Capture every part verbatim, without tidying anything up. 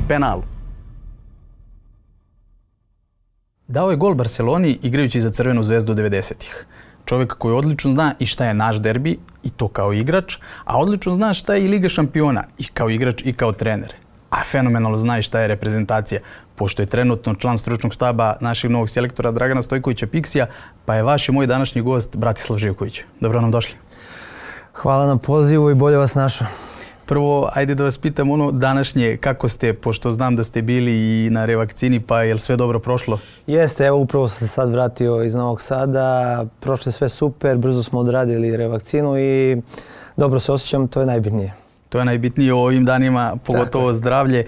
penalu. Dao je gol Barceloni igrajući za Crvenu zvezdu devedesetih. Čovjek koji odlično zna i šta je naš derbi, i to kao igrač, a odlično zna šta je i Liga šampiona, i kao igrač i kao trener. A fenomenalno zna i šta je reprezentacija, pošto je trenutno član stručnog štaba našeg novog selektora Dragana Stojkovića Piksija, pa je vaš i moj današnji gost Bratislav Živković. Dobro nam došli. Hvala na pozivu i bolje vas našao. Prvo, ajde da vas pitam ono današnje, kako ste, pošto znam da ste bili i na revakcini, pa je li sve dobro prošlo? Jeste, evo upravo sam se sad vratio iz Novog Sada, prošlo je sve super, brzo smo odradili revakcinu i dobro se osjećam, to je najbitnije. To je najbitnije u ovim danima, pogotovo zdravlje.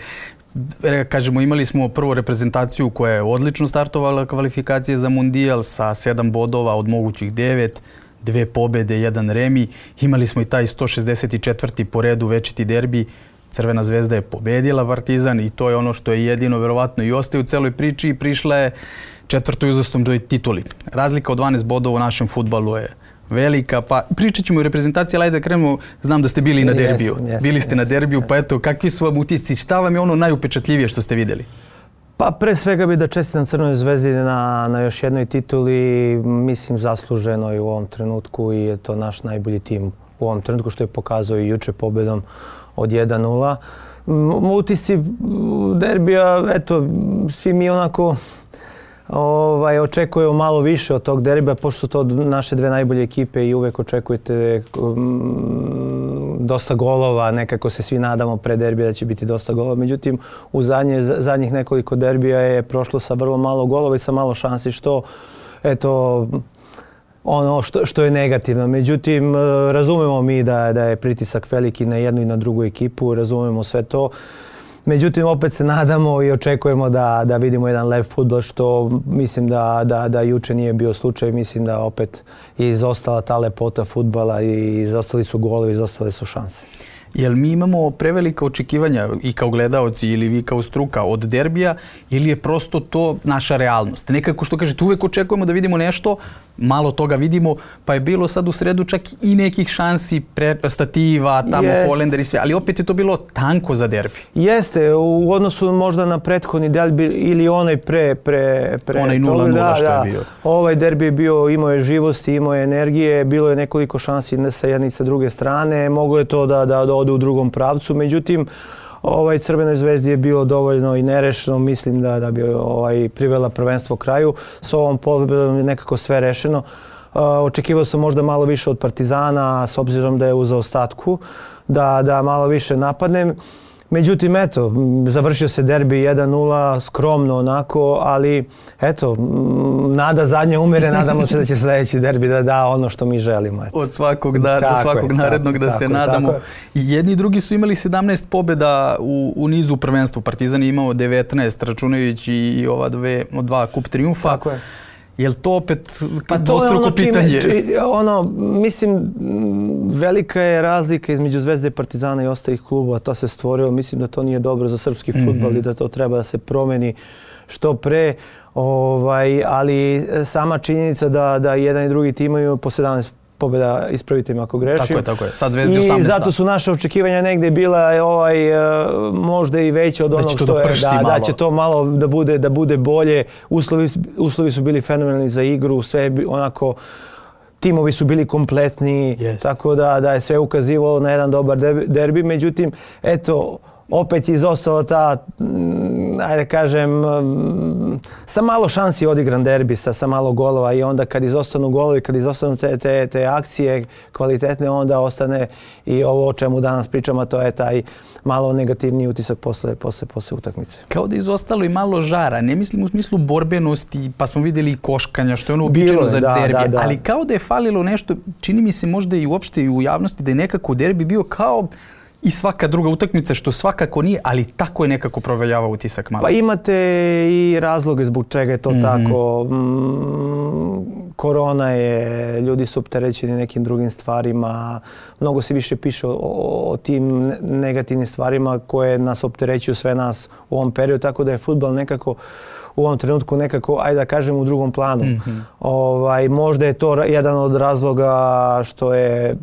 Kažemo, imali smo prvu reprezentaciju koja je odlično startovala kvalifikacije za Mundijal sa sedam bodova od mogućih devet. Dve pobjede, jedan remi. Imali smo i taj sto šezdeset četvrti po redu večiti derbi. Crvena zvezda je pobedila Partizan i to je ono što je jedino verovatno i ostaje u celoj priči i prišla je četvrtoj uzastopnoj tituli. Razlika od dvanaest bodova u našem fudbalu je velika, pa pričat ćemo i o reprezentaciji, ali ajde da krenemo, znam da ste bili i na derbiju. Yes, yes, bili ste yes, na derbiju, yes. Pa eto, kakvi su vam utisci, šta vam je ono najupečatljivije što ste vidjeli? Pa pre svega bi da čestitam Crvenoj zvezdi na, na još jednoj tituli, mislim zasluženo i u ovom trenutku i je to naš najbolji tim u ovom trenutku što je pokazao i juče pobjedom od jedan nula. Utisci derbija, eto, svi mi onako ovaj, očekujemo malo više od tog derbija, pošto su to naše dve najbolje ekipe i uvek očekujete um, dosta golova, nekako se svi nadamo pre derbija da će biti dosta golova. Međutim, u zadnje, zadnjih nekoliko derbija je prošlo sa vrlo malo golova i sa malo šansi, što eto, ono što, što je negativno. Međutim, razumemo mi da, da je pritisak veliki na jednu i na drugu ekipu, razumemo sve to. Međutim, opet se nadamo i očekujemo da, da vidimo jedan lep fudbal, što mislim da, da, da juče nije bio slučaj. Mislim da opet je izostala ta lepota fudbala i izostali su golovi, izostale su šanse. Jel mi imamo prevelika očekivanja i kao gledaoci ili vi kao struka od derbija ili je prosto to naša realnost? Nekako što kažete, uvek očekujemo da vidimo nešto, malo toga vidimo, pa je bilo sad u sredu čak i nekih šansi, stativa, tamo Holender i sve, ali opet je to bilo tanko za derbi. Jeste, u odnosu možda na prethodni derbi ili onaj pre, pre, pre onaj nula nula što je bio. Ovaj derbi je bio, imao je živosti, imao je energije, bilo je nekoliko šansi sa jedne i sa druge strane, moglo je to da, da, da ode u drugom pravcu, međutim, ovaj Crvenoj zvezdi je bilo dovoljno i nerešeno, mislim da, da bi ovaj, privela prvenstvo kraju. S ovom pobedom je nekako sve rešeno. Uh, očekivao sam možda malo više od Partizana, s obzirom da je u zaostatku, da, da malo više napadnem. Međutim, eto, završio se derbi jedan nula, skromno onako, ali eto, nada zadnja umire, nadamo se da će sljedeći derbi da da ono što mi želimo. Eto. Od svakog, da, do svakog je, narednog tako, da tako, se nadamo. I jedni i drugi su imali sedamnaest pobjeda u, u nizu prvenstvu. Partizan je imao devetnaest, računajući i ova dve, dva kup triumfa. Tako je. Je li to opet pa dvostruko ono pitanje? Čime, ono, mislim, velika je razlika između Zvezde i Partizana i ostalih klubova. To se stvorilo. Mislim da to nije dobro za srpski fudbal mm-hmm. i da to treba da se promeni što pre. Ovaj, ali sama činjenica da, da jedan i drugi tim imaju po sedamnaest pobjeda, ispravite mi ako grešim. Tako je, tako je. Sad Zvezdi osamnaest. I zato su naše očekivanja negdje bila ovaj, možda i veće od onog što je. Da, da će to malo da bude, da bude bolje. Uslovi, uslovi su bili fenomenalni za igru, sve onako, timovi su bili kompletni, yes. Tako da, da je sve ukazivalo na jedan dobar derbi. Međutim, eto, opet je izostala ta, ajde kažem, sa malo šansi odigran derbi, sa, sa malo golova i onda kad izostanu golovi, kad izostanu te, te, te akcije kvalitetne, onda ostane i ovo o čemu danas pričamo, to je taj malo negativni utisak posle, posle, posle utakmice. Kao da je izostalo i malo žara, ne mislim u smislu borbenosti, pa smo vidjeli i koškanja, što je ono uobičajeno za da, derbi, da, da. Ali kao da je falilo nešto, čini mi se možda i uopšte i u javnosti, da je nekako derbi bio kao i svaka druga utakmica, što svakako nije, ali tako je nekako proveljavao utisak malo. Pa imate i razloge zbog čega je to mm-hmm. tako. Mm, korona je, ljudi su opterećeni nekim drugim stvarima, mnogo se više piše o, o, o tim negativnim stvarima koje nas opterećuju sve nas u ovom periodu, tako da je fudbal nekako u ovom trenutku nekako, ajde da kažem, u drugom planu. Mm-hmm. Ovaj, možda je to jedan od razloga što je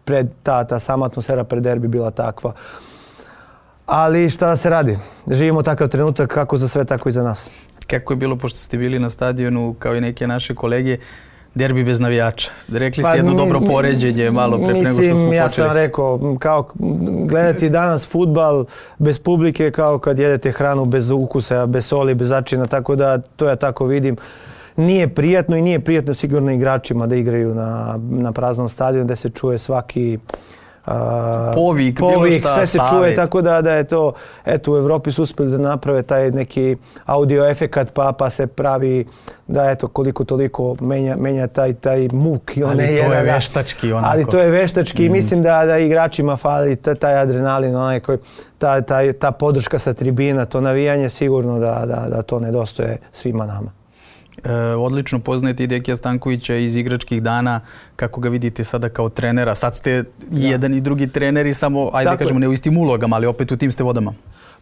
pred ta, ta sama atmosfera pred derbi bila takva. Ali šta da se radi? Živimo takav trenutak kako za sve, tako i za nas. Kako je bilo, pošto ste bili na stadionu, kao i neke naše kolege, derbi bez navijača? Rekli ste pa, jedno mi, dobro poređenje malo pre nego što smo počeli. Mislim, ja sam rekao, kao gledati danas fudbal bez publike kao kad jedete hranu bez ukusa, bez soli, bez začina, tako da to ja tako vidim. Nije prijatno i nije prijatno sigurno igračima da igraju na, na praznom stadionu, da se čuje svaki Uh, povik, povik šta, sve se savjet. Čuje, tako da, da je to, eto u Evropi su uspjeli da naprave taj neki audio efekat pa, pa se pravi da eto koliko toliko menja, menja taj, taj muk. I ali je to jedan, je veštački onako. Ali to je veštački i mm. mislim da, da igračima fali taj adrenalin, onaj koji, ta, ta, ta podrška sa tribina, to navijanje sigurno da, da, da to nedostaje svima nama. E, odlično poznajete i Dekija Stankovića iz igračkih dana, kako ga vidite sada kao trenera. Sad ste i jedan i drugi treneri, samo, ajde da kažemo, ne u istim ulogama, ali opet u tim ste vodama.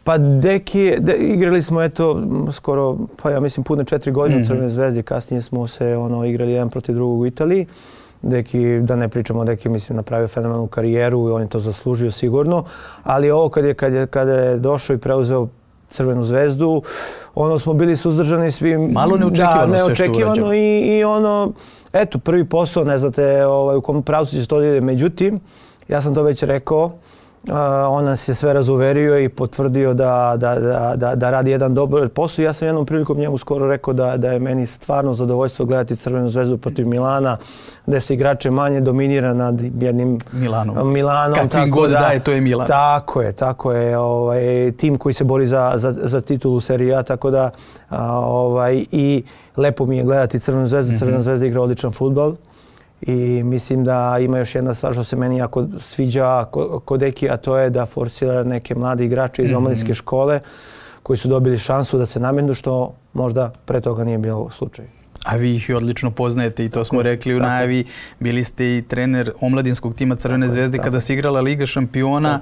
Pa Deki, de, igrali smo eto skoro, pa ja mislim pune četiri godine mm-hmm. u Crvenoj Zvezdi, kasnije smo se ono, igrali jedan protiv drugog u Italiji. Deki, da ne pričamo, Deki mislim napravio fenomenalnu karijeru i on je to zaslužio sigurno, ali ovo kad je, kad je, kad je došao i preuzeo Crvenu Zvezdu, ono smo bili suzdržani svim. Malo neočekivano, da, sve što je urađeno. I, i ono, eto, prvi posao, ne znate ovaj, u kom pravcu će to ide. Međutim, ja sam to već rekao, uh, on nas je sve razuverio i potvrdio da, da, da, da, da radi jedan dobar posao. Ja sam jednom prilikom njemu skoro rekao da, da je meni stvarno zadovoljstvo gledati Crvenu Zvezdu protiv Milana, da se igrače manje dominira nad jednim Milanom. Milanom kakvim god da je, to je Milan. Tako je, tako je. Ovaj, tim koji se bori za, za, za titulu Serie A, tako da a, ovaj, i lepo mi je gledati Crvenu Zvezdu. Mm-hmm. Crvena Zvezda igra odličan fudbal i mislim da ima još jedna stvar što se meni jako sviđa kod Eki, a to je da forsira neke mlade igrače iz omladinske mm-hmm. škole koji su dobili šansu da se nametnu, što možda pre toga nije bilo slučaj. A vi ih i odlično poznajete i to smo rekli u najavi. Bili ste i trener omladinskog tima Crvene Zvezde kada se igrala Liga šampiona.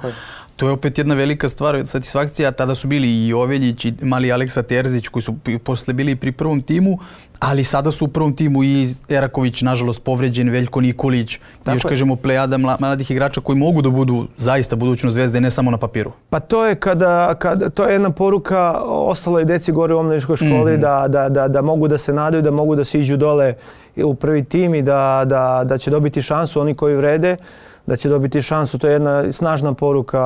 To je opet jedna velika stvar, satisfakcija. Tada su bili i Joveljić i mali Aleksa Terzić koji su posle bili pri prvom timu, ali sada su u prvom timu i Eraković, nažalost povređen, Veljko Nikolić, i još kažemo plejada mladih igrača koji mogu da budu zaista budućnost Zvezde, ne samo na papiru. Pa to je kada, kada to je jedna poruka ostalo i deci gore u omladinskoj školi, mm-hmm. da, da, da, da mogu da se nadaju, da mogu da se iđu dole u prvi tim i da, da, da će dobiti šansu oni koji vrede, da će dobiti šansu. To je jedna snažna poruka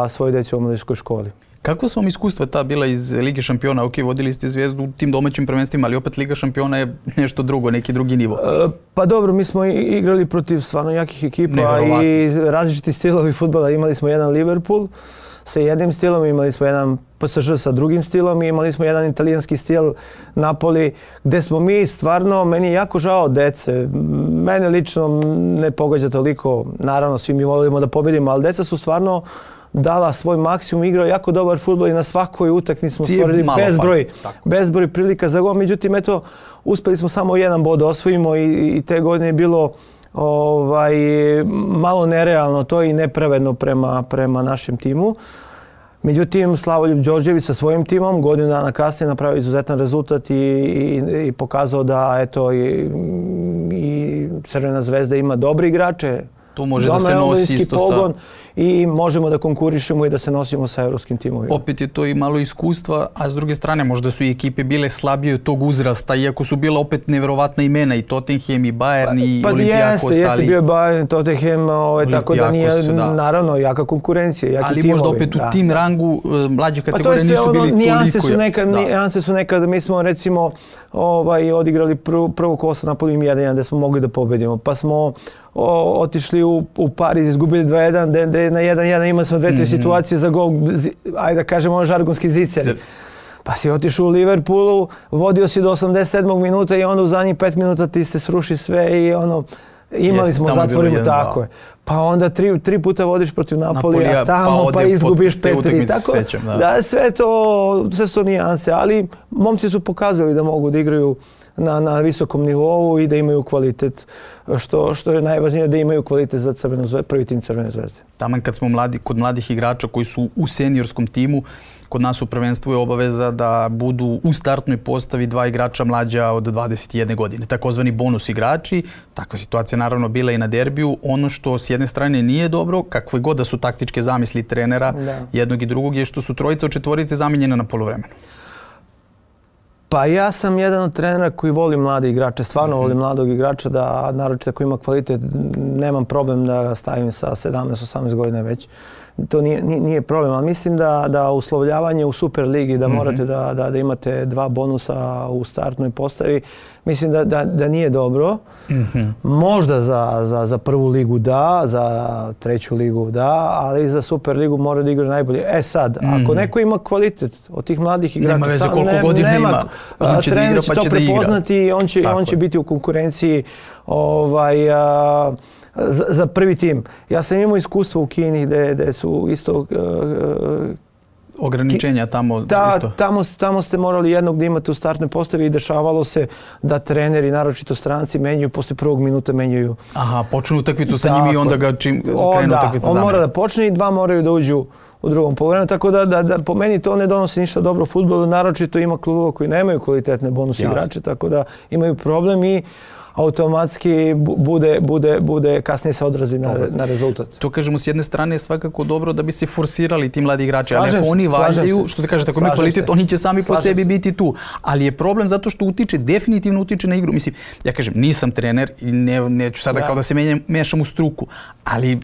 svojoj deci u omladinskoj školi. Kako su vam iskustva ta bila iz Lige šampiona? Ok, vodili ste Zvezdu u tim domaćim prvenstvima, ali opet Liga šampiona je nešto drugo, neki drugi nivo. E, pa dobro, mi smo igrali protiv stvarno jakih ekipa i različiti stilovi fudbala. Imali smo jedan Liverpool sa jednim stilom, imali smo jedan P S Ž sa drugim stilom i imali smo jedan italijanski stil Napoli, gde smo mi stvarno, meni je jako žao dece. Mene lično ne pogađa toliko, naravno svi mi volimo da pobedimo, ali deca su stvarno dala svoj maksimum, igrao jako dobar fudbal i na svakoj utakmici smo stvorili bezbroj, bezbroj prilika za gol. Međutim, eto, uspeli smo samo jedan bod da osvojimo i, i te godine je bilo ovaj, malo nerealno to i nepravedno prema, prema našem timu. Međutim, Slavoljub Đorđević sa svojim timom godinu dana kasnije napravio izuzetan rezultat i, i, i pokazao da eto, i, i Crvena Zvezda ima dobre igrače. To može da se nosi isto pogon i možemo da konkurišemo i da se nosimo sa evropskim timovima. Opet je to i malo iskustva, a s druge strane možda su i ekipe bile slabije od tog uzrasta, iako su bila opet neverovatna imena i Tottenham i Bayern i pa, pa Olympiakos. Jeste, jeste bio Bayern, Tottenham, ovaj, tako da nije da. naravno jaka konkurencija, jaki ali timovi. Ali možda opet u da, tim da. rangu mlađe kategorije pa nisu ono, bili nijanse toliko. Su nekad, da. Nijanse su nekad, mi smo recimo ovaj, odigrali prvo, prvo kolo sa Napolijem jedan jedan gdje smo mogli da pobedimo, pa smo O, otišli u, u Pariz, izgubili dva jedan, gdje na jedan jedan imali smo dve, tri mm-hmm. situacije za gol, ajde da kažemo žargonski zicer. Pa si otišao u Liverpoolu, vodio si do osamdeset sedmog minuta i onda u zadnjih pet minuta ti se sruši sve i ono, imali Jeste, smo zatvorimo, tako je. Pa onda tri, tri puta vodiš protiv Napolija, a tamo pa, pa izgubiš pet tri. Tako sećam, da. da sve to, sve to nijanse, ali momci su pokazali da mogu da igraju na, na visokom nivou i da imaju kvalitet, što, što je najvažnije da imaju kvalitet za Crvenu zvezdu, prvi tim Crvene zvezde. Taman kad smo mladi, kod mladih igrača koji su u seniorskom timu, kod nas u prvenstvu je obaveza da budu u startnoj postavi dva igrača mlađa od dvadeset jedne godine, takozvani bonus igrači. Takva situacija naravno bila i na derbiju. Ono što s jedne strane nije dobro, kakve god da su taktičke zamisli trenera da. jednog i drugog, je što su trojica od četvorice zamijenjena na poluvremenu. Pa ja sam jedan od trenera koji voli mlade igrače, stvarno mm-hmm. volim mladog igrača, da naročito ako ima kvalitet, nemam problem da ga stavim sa sedamnaest osamnaest godina već. To nije, nije problem, ali mislim da, da uslovljavanje u Super ligi, da morate da, da, da imate dva bonusa u startnoj postavi, mislim da, da, da nije dobro. Mm-hmm. Možda za, za, za prvu ligu da, za treću ligu da, ali za Super ligu mora da igra najbolje. E sad, mm-hmm. ako neko ima kvalitet od tih mladih igrača, nema veze koliko ne, godina nema, ima, on će da igra pa će da igra. Prepoznati i on će, on će biti u konkurenciji ovaj, a, Za, za prvi tim. Ja sam imao iskustvo u Kini gdje, gdje su isto... Uh, ograničenja tamo da, isto. Tamo, tamo ste morali jednog da imate u startnoj postavi i dešavalo se da treneri, naročito stranci, menjaju, posle prvog minuta menjaju. Aha, počnu utakmicu sa njim i onda ga čim krenu utakmica on zamene. mora da počne i dva moraju da uđu u drugom poluvremenu, tako da, da, da po meni to ne donosi ništa dobro fudbalu, naročito ima klubova koji nemaju kvalitetne bonus igrače, tako da imaju problem i automatski bude, bude, bude kasnije se odrazi na, na rezultat. To kažemo s jedne strane je svakako dobro da bi se forsirali ti mladi igrači, ali ako oni valjaju, što ti kažete, ako imaju kvalitet, se. Oni će sami slažem po sebi se. biti tu. Ali je problem zato što utiče, definitivno utiče na igru. Mislim, ja kažem, nisam trener i ne, neću sada ja. kao da se menjam, mešam u struku, ali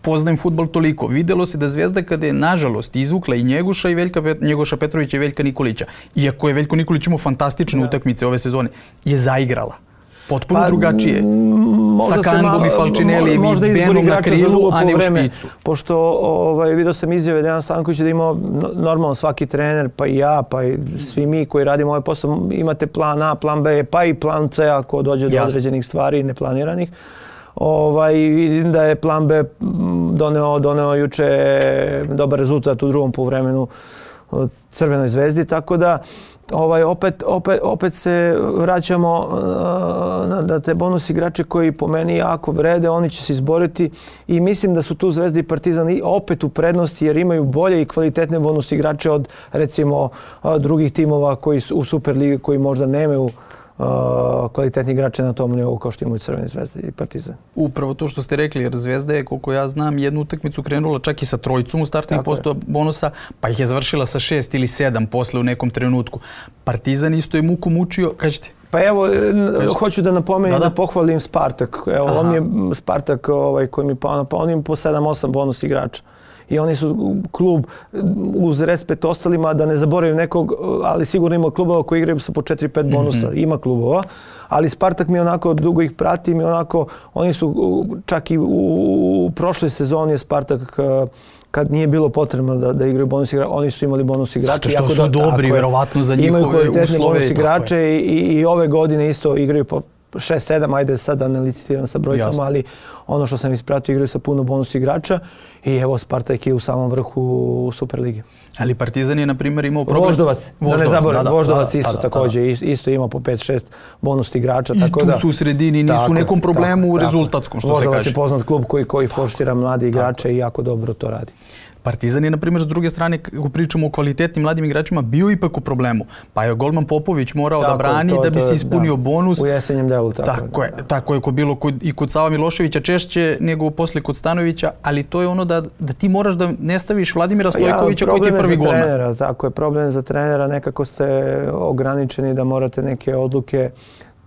poznajem fudbal toliko. Videlo se da Zvezda kada je nažalost izvukla i Njegoša i Veljka, Njegoša Petrovića i Veljka Nikolića, iako je Veljko Nikolić imao fantastične ja. utakmice ove sezone, je zaigrala. Potpuno pa, drugačije. Sa Kangom i Falčinelijem i Benom na krilu, a ne u špicu. Pošto ovaj, vidio sam izjave Dejan Stankovića da imao normalno svaki trener, pa i ja, pa i svi mi koji radimo ovaj posao, imate plan A, plan B, pa i plan C ako dođe do određenih stvari neplaniranih. Ovaj, vidim da je plan B doneo, doneo juče dobar rezultat u drugom poluvremenu od Crvenoj zvezdi, tako da Ovaj, opet, opet, opet se vraćamo uh, na te bonus igrače koji po meni jako vrede, oni će se izboriti i mislim da su tu Zvezda i Partizan i opet u prednosti jer imaju bolje i kvalitetne bonus igrače od recimo uh, drugih timova koji su u Superligi koji možda nemaju Uh, kvalitetni igrače na tom nivou kao što imaju Crvene zvezde i Partizan. Upravo to što ste rekli, jer Zvezda je, koliko ja znam, jednu utakmicu krenula čak i sa trojicom u startnih posto bonusa, pa ih je završila sa šest ili sedam posle u nekom trenutku. Partizan isto je muku mučio, kažete? Pa evo, Kažete? hoću da napomenem da, da pohvalim Spartak. Evo, Aha. on je Spartak ovaj, koji mi pao na pa on ima po sedam osam bonus igrača. I oni su klub uz respekt ostalima, da ne zaboravim nekog, ali sigurno ima klubova koji igraju sa po četiri pet bonusa. Mm-hmm. Ima klubova, ali Spartak mi onako dugo ih pratim i onako, oni su čak i u, u prošloj sezoni je Spartak kad nije bilo potrebno da, da igraju bonus igrače, oni su imali bonus igrače. Zato što su da, dobri, verovatno za njihove uslove. Imaju kvalitetne bonus igrače i, i, i ove godine isto igraju po šest sedam, ajde sad da ne licitiram sa brojkama, Jasne. ali ono što sam ispratio igraju sa puno bonus igrača i evo Spartak je u samom vrhu Superlige. Ali Partizan je na primjer imao problem. Voždovac, Voždovac da ne zaboravim, da, da, Voždovac da, isto da, da, također, da, da. isto ima po pet šest bonus igrača. I tako tu da, su u sredini, nisu u nekom problemu tako, rezultatskom, što Voždovac se kaže. Voždovac je poznat klub koji, koji forsira mladi igrače tako. i jako dobro to radi. Partizan je, na primjer, s druge strane, kako pričamo o kvalitetnim mladim igračima, bio ipak u problemu. Pa je golman Popović morao tako, da brani to, da bi to, se ispunio da, bonus. U jesenjem delu. Tako, tako je, da. tako je ko bilo kod, i kod Sava Miloševića češće nego posle kod Stanovića, ali to je ono da, da ti moraš da ne staviš Vladimira Stojkovića ja, koji ti je prvi golman. Trenera, tako je, problem za trenera, nekako ste ograničeni da morate neke odluke,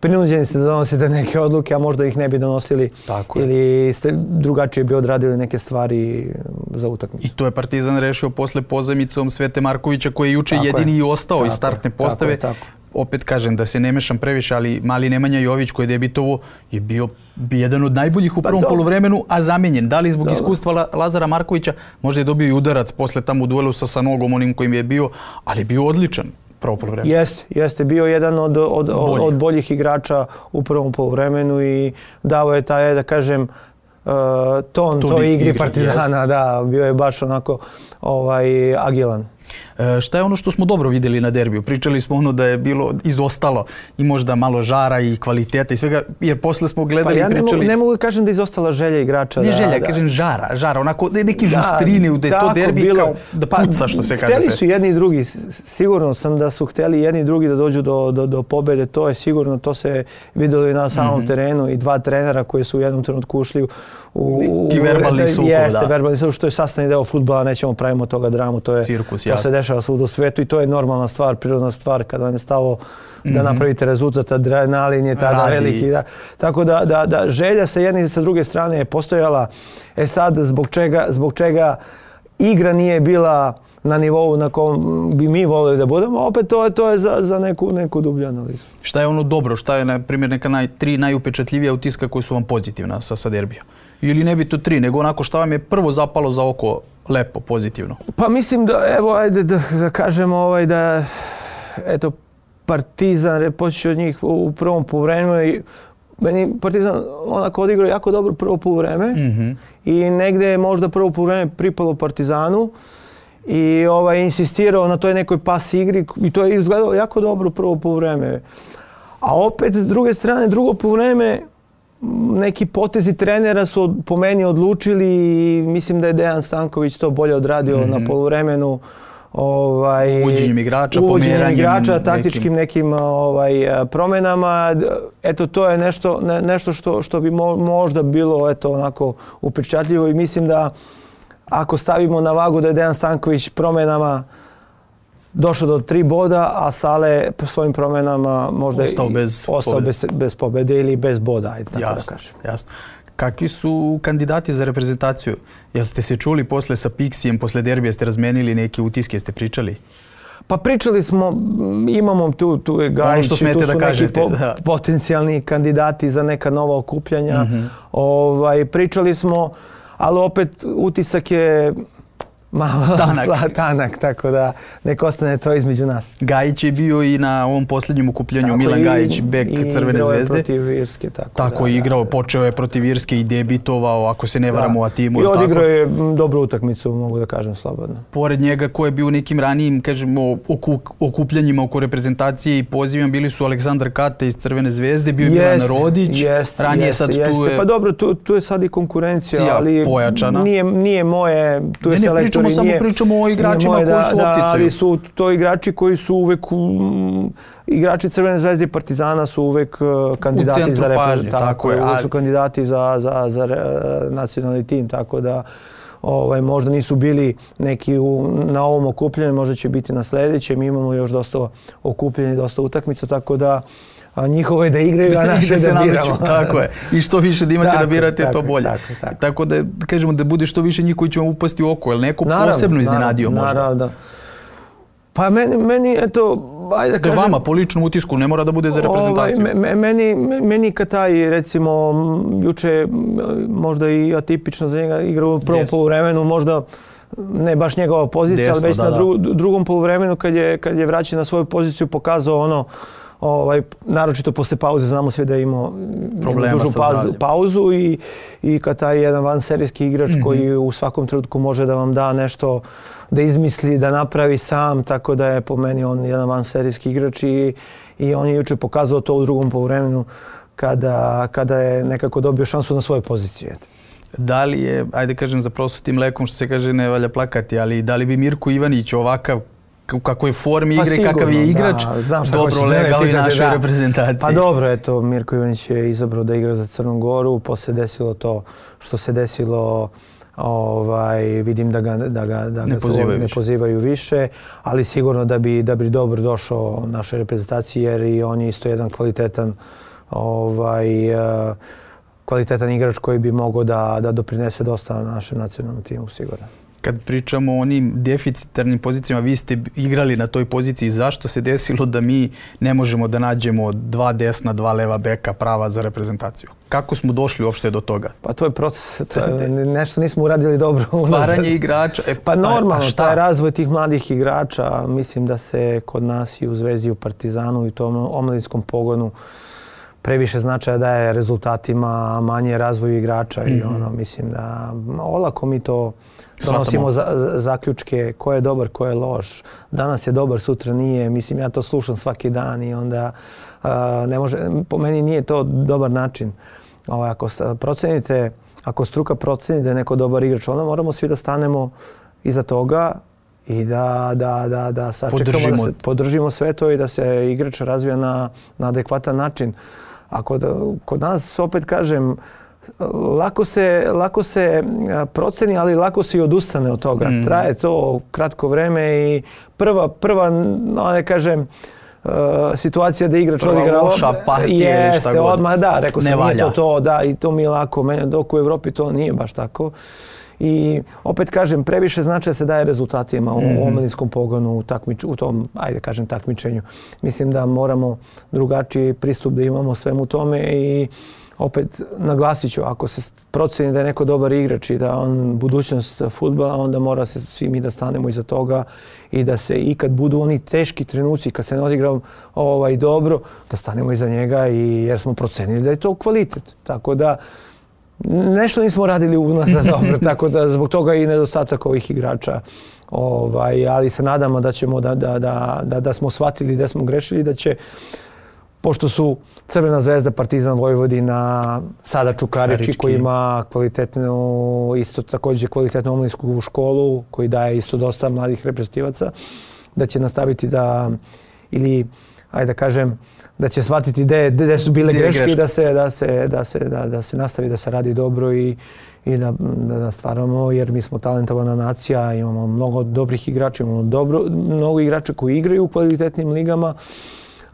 prinuđeni ste da donosite neke odluke, a možda ih ne bi donosili Tako ili je. ste drugačije bi odradili neke stvari za utakmicu. I to je Partizan rešio posle pozajmicom Svete Markovića koji je juče tako jedini je. i ostao tako iz startne postave. Tako je, tako. Opet kažem da se ne mešam previše, ali mali Nemanja Jović koji je debitovo je bio jedan od najboljih u prvom pa, poluvremenu, a zamijenjen. Da li zbog dobro. iskustva Lazara Markovića, možda je dobio i udarac posle tamo u duelu sa Sanogom, onim kojim je bio, ali je bio odličan. Jeste, jeste bio jedan od, od, od, od boljih igrača u prvom poluvremenu i dao je taj, da kažem, uh, ton toj igri, igri Partizana, yes. da, bio je baš onako ovaj, agilan. E, šta je ono što smo dobro vidjeli na derbiju? Pričali smo ono da je bilo izostalo i možda malo žara i kvaliteta i svega, jer posle smo gledali pa ja i pričali... Pa ja ne mogu da kažem da je izostala želja igrača. Ne da, želja, da, kažem žara, žara, onako neki žustrini, da je to derbi bilo, kao da puca, što se kaže. Hteli su jedni i drugi, sigurno sam da su hteli jedni i drugi da dođu do, do, do pobjede, to je sigurno, to se vidjelo i na samom mm-hmm. terenu i dva trenera koji su u jednom trenutku ušli u... u neki verbalni sukob, jeste, da. verbalni sukob, što je sastavni deo fudbala, nećemo pravimo toga dramu, to je cirkus, to se dešava svud u svetu i to je normalna stvar, prirodna stvar kada vam je stalo da mm-hmm. napravite rezultat, adrenalin je tada Radi. veliki. Da. Tako da, da, da želja sa jedne i sa druge strane je postojala. E sad, zbog čega, zbog čega igra nije bila na nivou na kom bi mi volili da budemo, opet to je, to je za, za neku, neku dublju analizu. Šta je ono dobro? Šta je, na primjer, neka naj, tri najupečatljivija utiska koji su vam pozitivna sa, sa derbija? Ili ne bi to tri, nego onako šta vam je prvo zapalo za oko lepo, pozitivno? Pa mislim da, evo, ajde da, da kažemo ovaj, da, eto, Partizan, počeo od njih u prvom poluvremenu i meni Partizan onako odigrao jako dobro prvo poluvreme mm-hmm. i negdje je možda prvo poluvreme pripalo Partizanu i ovaj, insistirao na toj nekoj pas igri i to je izgledalo jako dobro prvo poluvreme. A opet, s druge strane, drugo poluvreme, neki potezi trenera su po meni odlučili i mislim da je Dejan Stanković to bolje odradio mm-hmm. na poluvremenu. Ovaj, uvođenjem igrača, uvođenjem igrača, taktičkim nekim, nekim ovaj, promjenama. Eto, to je nešto, ne, nešto što, što bi mo, možda bilo eto, onako upečatljivo i mislim da ako stavimo na vagu da je Dejan Stanković promjenama došao do tri boda, a Sale po svojim promjenama možda ostao bez, ostao pobjede. bez, bez pobjede ili bez boda, ajde tako jasno, da kažem. Jasno. Kakvi su kandidati za reprezentaciju? Jel ste se čuli posle sa Pixijem, posle derbija ste razmenili neke utiske, ste pričali? Pa pričali smo, imamo tu, tu je Gajić, tu su da neki kažete, po, da. potencijalni kandidati za neka nova okupljanja. Mm-hmm. Ovaj, pričali smo, ali opet utisak je malo tanak. tanak, tako da nek ostane to između nas. Gajić je bio i na ovom posljednjem okupljanju, tako Milan i, Gajić, bek Crvene zvezde. I protiv Irske. Tako, tako da, je igrao, da, počeo je protiv Irske i debitovao, ako se ne varamo, a timu. I odigrao je dobru utakmicu, mogu da kažem slobodno. Pored njega, ko je bio u nekim ranijim, kažemo, oku, okupljanjima oko reprezentacije i pozivima, bili su Aleksandar Kate iz Crvene zvezde, bio je jest, Milan Rodić, jest, ranije jest, sad tu jest. je... Pa dobro, tu, tu je sad i konkurencija, ali pojačana. Nije, nije moje, tu je ne, ne, selektor pričamo, i samo nije... pričamo o igračima koji da, su opticuju. Da, ali su to igrači koji su uvek, um, igrači Crvene zvezde i Partizana su uvek uh, kandidati za reprezentaciju. Tako, tako je, uvek su kandidati za, za, za uh, nacionalni tim, tako da ovaj, možda nisu bili neki u, na ovom okupljanju, možda će biti na sljedećem. Mi imamo još dosta okupljanja i dosta utakmica, tako da a njihovo je da igraju, a naše da biramo. Tako je. I što više da imate tako, da birate, tako, to bolje. Tako, tako. tako da kažemo da bude što više njih koji će vam upasti u oko. Je li neko naravno, posebno iznenadio naravno, možda? Naravno, da. Pa meni, meni eto, ajde da kažem... Da vama, po ličnom utisku, ne mora da bude za reprezentaciju. Ovaj, me, meni, meni Kataj, recimo, juče možda i atipično za njega igra u prvom yes. poluvremenu, možda ne baš njegova pozicija, Desno, ali već da, na dru, drugom poluvremenu kad je, kad je vraćen na svoju poziciju pokazao ono, ovaj, naročito posle pauze, znamo sve da je imao dužu pauzu, pauzu i, i Kataj je jedan vanserijski igrač mm-hmm. koji u svakom trenutku može da vam da nešto, da izmisli, da napravi sam, tako da je po meni on jedan vanserijski igrač i, i on je juče pokazao to u drugom poluvremenu kada, kada je nekako dobio šansu na svoje pozicije. Da li je, ajde kažem za prosutim mlekom, što se kaže ne valja plakati, ali da li bi Mirko Ivanić ovakav u kakvoj formi igre, pa sigurno, kakav je igrač, da, dobro legao i našoj da. reprezentaciji. Pa dobro, eto, Mirko Ivanić je izabrao da igra za Crnu Goru, posle desilo to što se desilo, ovaj, vidim da ga, da ga, da ne, ga pozivaju ne pozivaju više, ali sigurno da bi, da bi dobro došao našoj reprezentaciji jer i on je isto jedan kvalitetan, ovaj, kvalitetan igrač koji bi mogao da, da doprinese dosta našem nacionalnom timu, sigurno. Kad pričamo o onim deficitarnim pozicijama, vi ste igrali na toj poziciji. Zašto se desilo da mi ne možemo da nađemo dva desna, dva leva beka prava za reprezentaciju? Kako smo došli uopšte do toga? Pa to je proces, to je nešto nismo uradili dobro. Stvaranje igrača. E, pa normalno, taj razvoj tih mladih igrača, mislim da se kod nas i u Zvezdi, u Partizanu i tom omladinskom pogonu previše značaja daje rezultatima, manje razvoju igrača mm-hmm. i ono, mislim da olako mi to donosimo za, zaključke ko je dobar, ko je loš. Danas je dobar, sutra nije. Mislim, ja to slušam svaki dan i onda uh, ne može, po meni nije to dobar način. Ovaj, ako procenite, ako struka proceni da je neko dobar igrač, onda moramo svi da stanemo iza toga i da, da, da, da sačekamo, da se podržimo sve to i da se igrač razvija na, na adekvatan način. Ako da, kod nas, opet kažem, lako se, lako se proceni, ali lako se i odustane od toga. Mm. Traje to kratko vreme i prva, prva, no ne kažem, Uh, situacija da igrač odigra loša partija ili šta god. Odmah, da, rekao sam, nije to to, da, i to mi je lako, meni, dok u Evropi to nije baš tako. I opet kažem, previše značaja se daje rezultatima u mm-hmm. omladinskom pogonu, u, takmič, u tom, ajde kažem, takmičenju. Mislim da moramo drugačiji pristup da imamo svemu tome i opet naglasit ću, ako se proceni da je neko dobar igrač i da on budućnost fudbala, onda mora se svi mi da stanemo iza toga i da se i kad budu oni teški trenuci, kad se ne odigra ovaj, dobro, da stanemo iza njega i jer smo procenili da je to kvalitet. Tako da nešto nismo radili u nas dobro, tako da zbog toga i nedostatak ovih igrača. Ovaj, ali se nadamo da ćemo da, da, da, da, da smo shvatili da smo grešili, da će, pošto su Crvena zvezda, Partizan, Vojvodina, sada Čukarički, Čukarički koji ima kvalitetnu, isto također kvalitetnu omladinsku školu, koji daje isto dosta mladih reprezentativaca, da će nastaviti da, ili, ajde da kažem, da će shvatiti gdje, gdje su bile greške i da se, da, se, da, se, da, da se nastavi da se radi dobro i, i da, da stvaramo, jer mi smo talentovana nacija, imamo mnogo dobrih igrača, imamo dobro, mnogo igrača koji igraju u kvalitetnim ligama,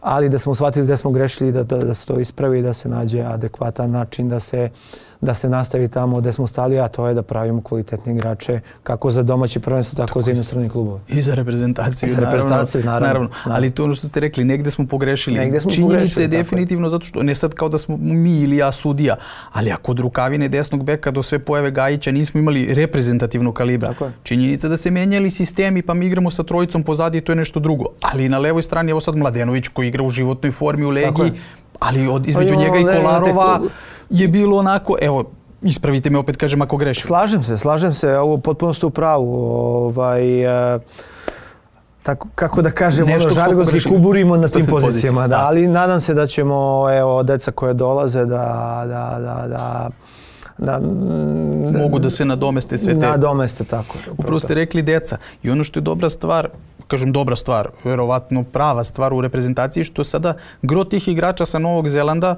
ali da smo shvatili da smo grešili, da, da, da se to ispravi, da se nađe adekvatan način, da se, da se nastavi tamo gdje smo stali, a to je da pravimo kvalitetne igrače kako za domaće prvenstvo, tako, tako za inostrane klubove. I za reprezentaciju, I za reprezentaciju naravno, naravno. naravno. Ali to ono što ste rekli, negdje smo pogrešili. Negdje smo Činjenica pogrešili, je definitivno, zato što ne sad kao da smo mi ili ja sudija, ali ako od Rukavine desnog beka do sve pojave Gajića nismo imali reprezentativnog kalibra. Činjenica da se menjali sistemi, pa mi igramo sa trojicom pozadi, to je nešto drugo. Ali na levoj strani je ovo sad Mladenović koji igra u životnoj formi u Legiji, ali od, između njega i Kolarova je bilo onako, evo, ispravite me opet, kažem, ako grešim. Slažem se, slažem se, ovo potpuno ste u pravu. Ovaj, e, tako, kako da kažem, ono, žargonski kuburimo na tim pozicijama, da, ali nadam se da ćemo, evo, deca koje dolaze da, da, da, da Da, da, mogu da se nadomeste sve te... Nadomeste, tako. Upravo ste rekli deca. I ono što je dobra stvar, kažem dobra stvar, verovatno prava stvar u reprezentaciji, što sada gro tih igrača sa Novog Zelanda,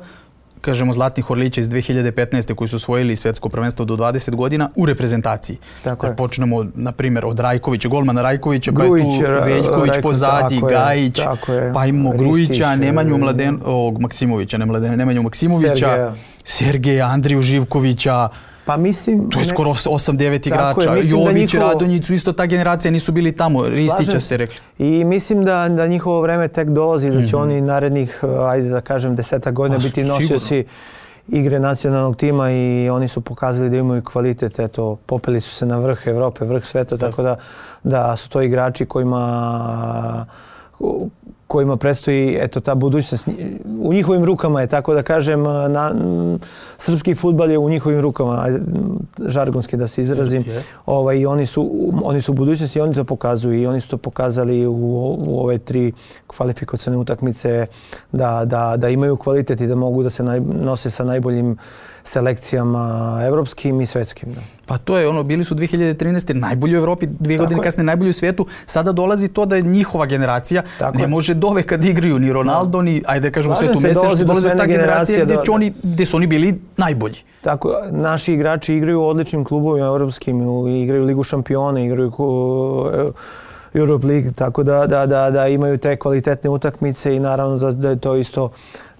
kažemo Zlatnih Orlića iz dve hiljade petnaeste koji su osvojili svjetsko prvenstvo do dvadeset godina u reprezentaciji. Tako je. Počnemo, na primjer, od Rajkovića, golmana Rajkovića, Grujić, pa je tu Veljković Rajko, pozadi, Gajić, pa imamo Grujića, Nemanju Mladen, ovog Maksimovića, ne Mladen, Nemanju Maksimovića, Sergeja, Sergeja Andriju Živkovića. Pa mislim... To je skoro osam devet igrača. Jović, njihovo... Radonjić su isto ta generacija, nisu bili tamo. Ristića ste rekli. I mislim da, da njihovo vreme tek dolazi, da će mm-hmm. oni narednih, ajde da kažem, desetak godina pa, biti nosioci igre nacionalnog tima i oni su pokazali da imaju kvalitet. Eto, popeli su se na vrh Evrope, vrh sveta, tako da, da su to igrači kojima... kojima predstoji eto ta budućnost u njihovim rukama je, tako da kažem, na, srpski fudbal je u njihovim rukama, žargonski da se izrazim. Yeah. Ovaj, i oni su oni su u budućnosti i oni to pokazuju i oni su to pokazali u, u ove tri kvalifikacione utakmice da, da, da imaju kvalitet i da mogu da se naj, nose sa najboljim selekcijama evropskim i svetskim. Da. Pa to je ono, bili su dve hiljade trinaeste najbolji u Evropi, dvije godine kasnije najbolji u svijetu. Sada dolazi to da je njihova generacija tako ne je. Može doveka da igraju ni Ronaldo, ni, ajde kažem u svetu Meseš, dolazi, dolazi ta generacija gdje, do... oni, gdje su oni bili najbolji. Tako, naši igrači igraju u odličnim klubovima evropskim, igraju Ligu šampiona, igraju Europe League, tako da, da, da, da imaju te kvalitetne utakmice i naravno da, da je to isto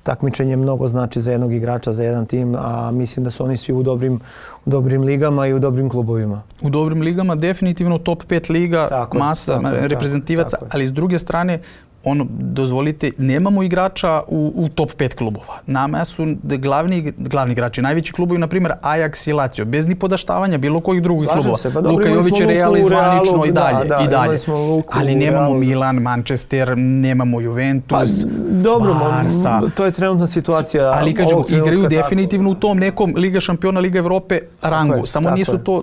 takmičenje mnogo znači za jednog igrača, za jedan tim, a mislim da su oni svi u dobrim, u dobrim ligama i u dobrim klubovima. U dobrim ligama, definitivno top pet liga, tako, masa tako, reprezentativaca, tako, tako. Ali s druge strane, ono, dozvolite, nemamo igrača u, u top pet klubova. Nama su glavni, glavni igrači, najveći klubovi, na primjer Ajax i Lazio, bez ni podaštavanja bilo kojih drugih Slažem klubova. Se, pa Luka Jović je Real zvanično Realu, i dalje. Da, da, i dalje. Luku, ali nemamo Realu. Milan, Manchester, nemamo Juventus, pa, dobro, Barsa. To je trenutna situacija. Ali kažemo, igraju definitivno tako u tom nekom Liga šampiona, Liga Evrope rangu. Je, Samo nisu je. to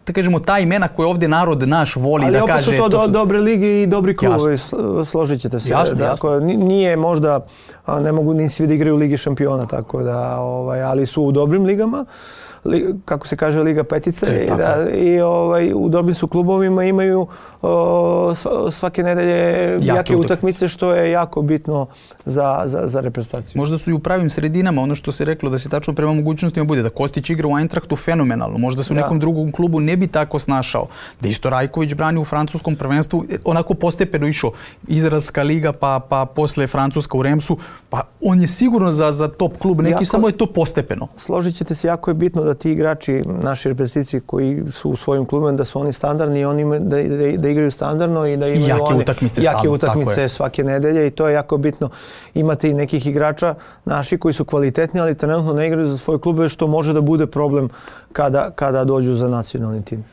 da kažemo, ta imena koje ovdje narod naš voli ali da kaže... Ali opet su to, to su... dobre lige i dobri klubovi, složit ćete se. Jasno, dakle, jasno. Nije možda, ne mogu ni svi da igraju u Ligi šampiona, tako da, ovaj, ali su u dobrim ligama. Kako se kaže, Liga petice, i, da, i ovaj, u dobrim su klubovima, imaju o, svake nedelje jake, jake utakmice, što je jako bitno za, za, za reprezentaciju. Možda su i u pravim sredinama, ono što se reklo, da se tačno prema mogućnostima bude, da Kostić igra u Eintrachtu fenomenalno, možda se u nekom da. drugom klubu ne bi tako snašao, da isto Rajković brani u francuskom prvenstvu, onako postepeno išao Izraelska liga, pa, pa posle Francuska u Remsu, pa on je sigurno za, za top klub neki, jako, samo je to postepeno. Složit ćete se, jako je bitno da ti igrači, naši reprezentativci koji su u svojim klubima, da su oni standardni i oni da, da, da igraju standardno i da imaju jake one utakmice, jake stavno, utakmice svake nedelje i to je jako bitno. Imate i nekih igrača naši koji su kvalitetni, ali trenutno ne igraju za svoje klube, što može da bude problem kada, kada dođu za nacionalni tim.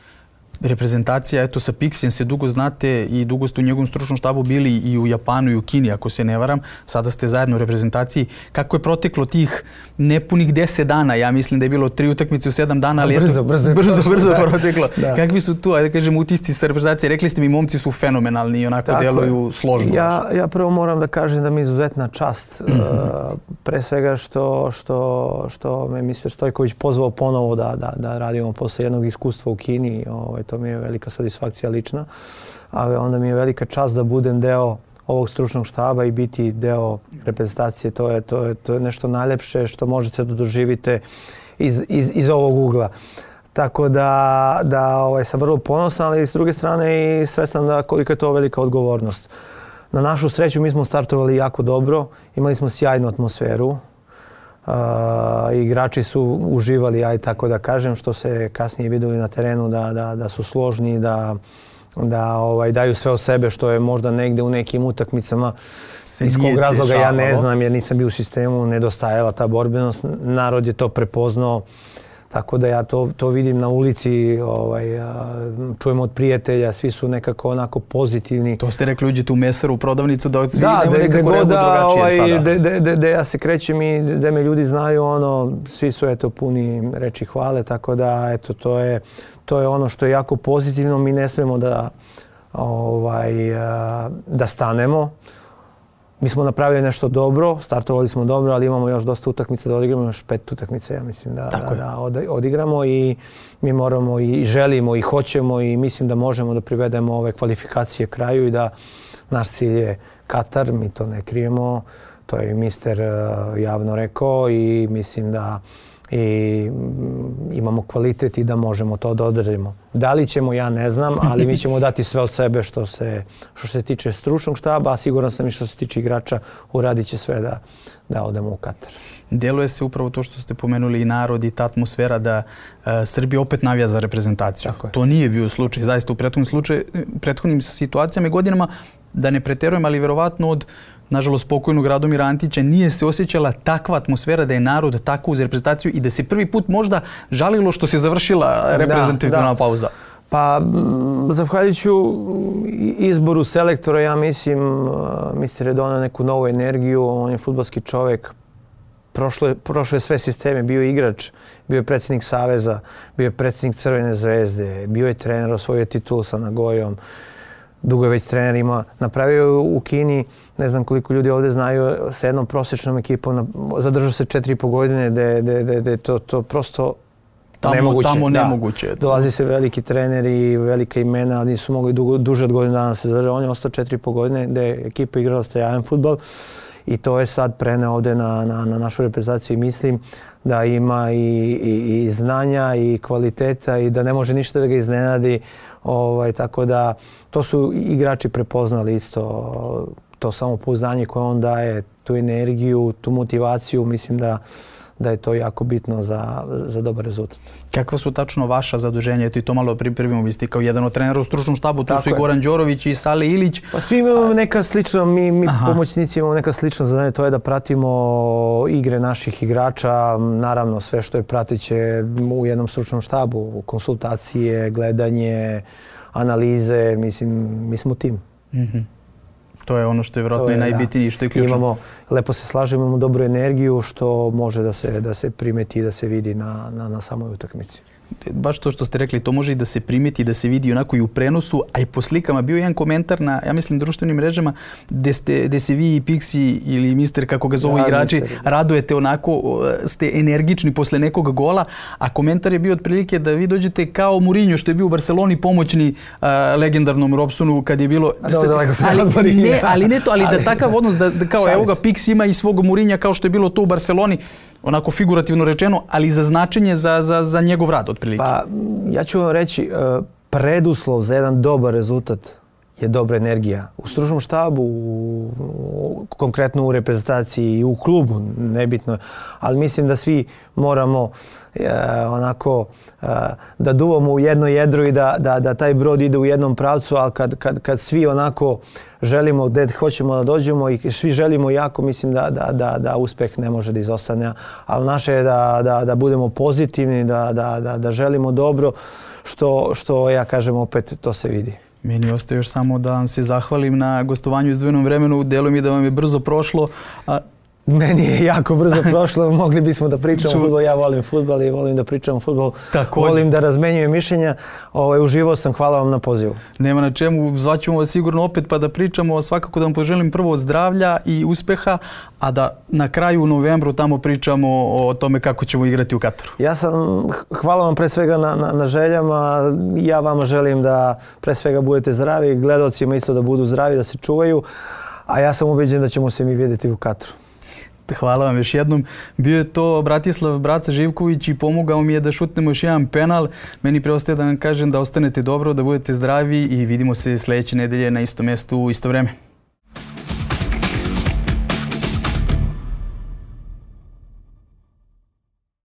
Reprezentacija, eto, sa Pixijem se dugo znate i dugo ste u njegovom stručnom štabu bili i u Japanu i u Kini, ako se ne varam. Sada ste zajedno u reprezentaciji. Kako je proteklo tih nepunih deset dana? Ja mislim da je bilo tri utakmice u sedam dana, ali brzo, eto, brzo, brzo, brzo da, proteklo. Da. Kakvi su tu, ajde kažem, utisci sa reprezentacije? Rekli ste mi, momci su fenomenalni i onako tako deluju složno. Ja, ja prvo moram da kažem da mi je izuzetna čast. Mm-hmm. uh, pre svega što, što, što me mister Stojković pozvao ponovo da, da, da radimo posle jednog iskustva u Kini. Ovaj, to mi je velika satisfakcija lična, a onda mi je velika čast da budem deo ovog stručnog štaba i biti deo reprezentacije. To je, to je, to je nešto najlepše što možete da doživite iz, iz, iz ovog ugla. Tako da, da ovaj, sam vrlo ponosan, ali s druge strane i svestan da koliko je to velika odgovornost. Na našu sreću mi smo startovali jako dobro, imali smo sjajnu atmosferu. Uh, igrači su uživali, aj tako da kažem, što se kasnije vidjeli na terenu da, da, da su složni, da, da ovaj, daju sve od sebe, što je možda negde u nekim utakmicama iz kog razloga ja ne znam, jer nisam bio u sistemu, nedostajala ta borbenost. Narod je to prepoznao. Tako da ja to, to vidim na ulici, ovaj, čujemo od prijatelja, svi su nekako onako pozitivni. To ste rekli, uđete u mesaru, u prodavnicu, da svi da, de, nekako reaguju drugačije ovaj, sada. De, de, de, de ja se krećem i da me ljudi znaju, ono, svi su eto puni reči hvale, tako da eto, to je, to je ono što je jako pozitivno. Mi ne smemo da, ovaj, da stanemo. Mi smo napravili nešto dobro, startovali smo dobro, ali imamo još dosta utakmica da odigramo, još pet utakmica, ja mislim, da, da, da odigramo i mi moramo i želimo i hoćemo i mislim da možemo da privedemo ove kvalifikacije kraju i da naš cilj je Katar, mi to ne krijemo, to je mister javno rekao i mislim da i imamo kvalitet i da možemo to da odradimo. Da li ćemo, ja ne znam, ali mi ćemo dati sve od sebe što se, što se tiče stručnog štaba, a siguran sam i što se tiče igrača, uradit će sve da, da odemo u Katar. Deluje se upravo to što ste pomenuli i narod i ta atmosfera da uh, Srbija opet navija za reprezentaciju. To nije bio slučaj, zaista u prethodnim, slučaj, prethodnim situacijama i godinama, da ne preterujem, ali vjerovatno od nažalost pokojnog Radomira Antića nije se osjećala takva atmosfera da je narod tako uz reprezentaciju i da se prvi put možda žalilo što se završila reprezentativna da, da. pauza. Pa, zahvaljujući izboru selektora, ja mislim, mister je donao neku novu energiju, on je fudbalski čovjek, prošlo je, prošlo je sve sisteme, bio je igrač, bio je predsjednik Saveza, bio je predsjednik Crvene zvezde, bio je trener, osvojio titulu sa Nagojom, dugo je već trener, ima, napravio u Kini, ne znam koliko ljudi ovdje znaju, sa jednom prosječnom ekipom, zadržao se četiri i po godine, da je to, to prosto tamo, nemoguće. Tamo nemoguće. Da. Dolazi se veliki treneri, velika imena, ali nisu mogli dugo, duže od godinu dana se zadržati. On je ostao četiri i po godine, da je ekipa igrala stajajan fudbal i to je sad preneo ovdje na, na, na našu reprezentaciju i mislim da ima i, i, i znanja i kvaliteta i da ne može ništa da ga iznenadi. Ovaj, tako da to su igrači prepoznali isto, to samopouzdanje koje on daje, tu energiju, tu motivaciju, mislim da, da je to jako bitno za, za dobar rezultat. Kakva su tačno vaša zaduženja? Eto i to malo pripremimo, vi ste kao jedan od trenera u stručnom štabu, tu tako su je. I Goran Đorović i Sale Ilić. Pa svi imamo neka slična, mi, mi pomoćnici imamo neka slična zadanja, to je da pratimo igre naših igrača, naravno sve što je prateće u jednom stručnom štabu, konsultacije, gledanje, analize, mislim, mi smo tim. Mm-hmm. To je ono što je vjerojatno i najbitnije i što je ključno. Imamo, lepo se slažemo, imamo dobru energiju što može da se, da se primeti i da se vidi na, na, na samoj utakmici. baš to što ste rekli, to može i da se primeti, da se vidi onako i u prenosu, a i po slikama. Bio je jedan komentar na, ja mislim, društvenim mrežama gde, ste, gde se vi i Pixi ili mister, kako ga zovu ja, igrači, mister. radujete onako, ste energični posle nekog gola, a komentar je bio otprilike da vi dođete kao Mourinho što je bio u Barceloni pomoćni uh, legendarnom Robsonu kad je bilo... A da, daleko se ali, ne, ali ne to, ali, ali da takav odnos, da, da kao evo ga Pix ima i svog Mourinha kao što je bilo to u Barceloni, onako figurativno rečeno, ali za značenje za, za, za njegov rad otprilike. Pa ja ću vam reći, preduslov za jedan dobar rezultat je dobra energija. U stručnom štabu, u, u, konkretno u reprezentaciji i u klubu, nebitno, ali mislim da svi moramo e, onako e, da duvamo u jedno jedro i da, da, da taj brod ide u jednom pravcu, ali kad, kad, kad svi onako želimo gdje hoćemo da dođemo i svi želimo jako, mislim da, da, da, da uspeh ne može da izostane. Ali naše je da, da, da budemo pozitivni, da, da, da, da želimo dobro, što, što ja kažem opet, to se vidi. Meni ostaje još samo da vam se zahvalim na gostovanju u izdvojenom vremenu. Delo mi da vam je brzo prošlo. A... Meni je jako brzo prošlo. Mogli bismo da pričamo o fudbalu. Ja volim fudbal i volim da pričam o fudbalu. Volim da razmenjujem mišljenja. Ovaj, uživao sam. Hvala vam na pozivu. Nema na čemu. Zvaćemo vas sigurno opet pa da pričamo. Svakako da vam poželim prvo zdravlja i uspeha, a da na kraju u novembru tamo pričamo o tome kako ćemo igrati u Kataru. Ja sam, hvala vam pre svega na, na, na željama. Ja vama želim da pre svega budete zdravi, gledalcima isto da budu zdravi, da se čuvaju, a ja sam ubeđen da ćemo se mi vidjeti u Kataru. Hvala vam još jednom. Bio je to Bratislav Braca Živković i pomogao mi je da šutnemo još jedan penal. Meni preostaje da vam kažem da ostanete dobro, da budete zdravi i vidimo se sljedeće nedelje na istom mjestu u isto vreme.